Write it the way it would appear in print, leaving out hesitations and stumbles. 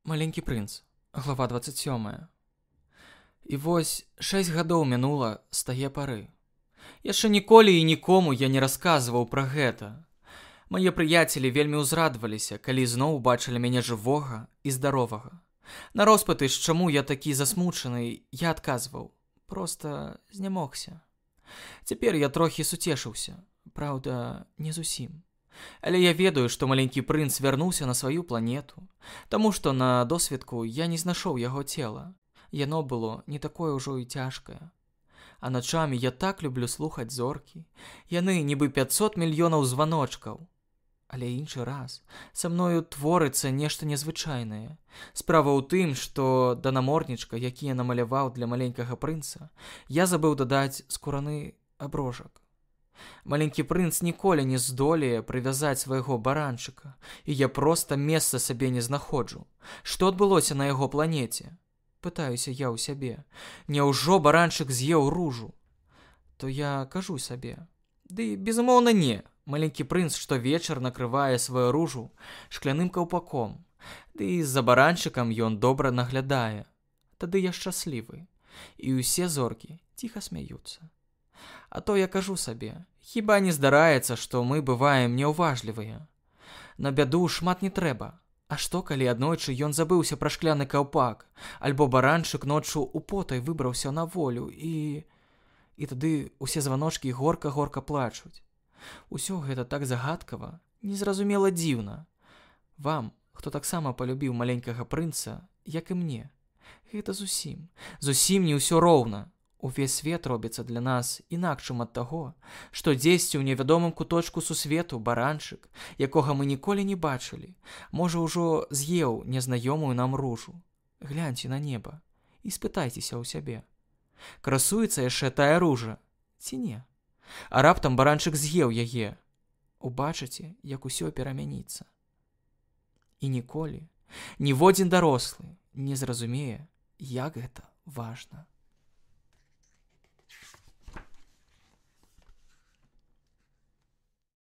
Маленькі прынц, глава 27. І вось 6 гадоў мінула з тае пары. Яшчэ ніколі і нікому я не расказваў пра гэта. Мае прыяцелі вельмі ўзрадаваліся, калі зноў убачылі мяне жывога і здаровага. На роспытыш, чаму я такі засмучаны, я адказваў. Проста знямогся. Цяпер я трохі суцешыўся. Праўда, не зусім. Але я ведаю, што маленькі прынц вярнуўся на сваю планету, таму што на досведку я не знайшоў яго цела. Яно было не такое ўжо і цяжкае. А начамі я так люблю слухаць зоркі. Яны нібы 500 мільёнаў званочкаў. Але іншы раз са мною творыцца нешта незвычайнае. Справа ў тым, што да наморднічка, які я намаляваў для маленькага прынца, я забыў дадаць скураны аброжак. Маленькі прынц ніколі не здолее прывязаць свайго баранчыка, і я проста месца сабе не знаходжу. Што адбылося на яго планеце? Пытаюся я ў сябе. Няўжо баранчык з'еў ружу? То я кажу сабе. Ды, безумоўна, не. Маленькі прынц штовечар накрывае сваю ружу шкляным каўпаком. Ды і за баранчыкам ён добра наглядае. Тады я шчаслівы. І ўсе зоркі ціха смяюцца. А то я кажу сабе, хіба не здараецца, што мы бываем няўважлівыя. На бяду шмат не трэба. А што, калі аднойчы ён забыўся пра шкляны каўпак, альбо баранчык ноччу употай выбраўся на волю і тады усе званочкі горка-горка плачуць. Усё гэта так загадкава, незразумела дзіўна. Вам, хто таксама палюбіў маленькага прынца, як і мне, гэта зусім не ўсё роўна. Увесь свет робіцца для нас інакшым ад таго, што дзесьці ў невядомым куточку сусвету баранчык, якога мы ніколі не бачылі, можа ўжо з'еў незнаёмую нам ружу. Гляньце на неба і спытайцеся ў сябе. Красуецца яшчэ тая ружа, ці не? А раптам баранчык з'еў яе. Убачыце, як усё перамяніцца. І ніколі ніводзін дарослы не зразумее, як гэта важна.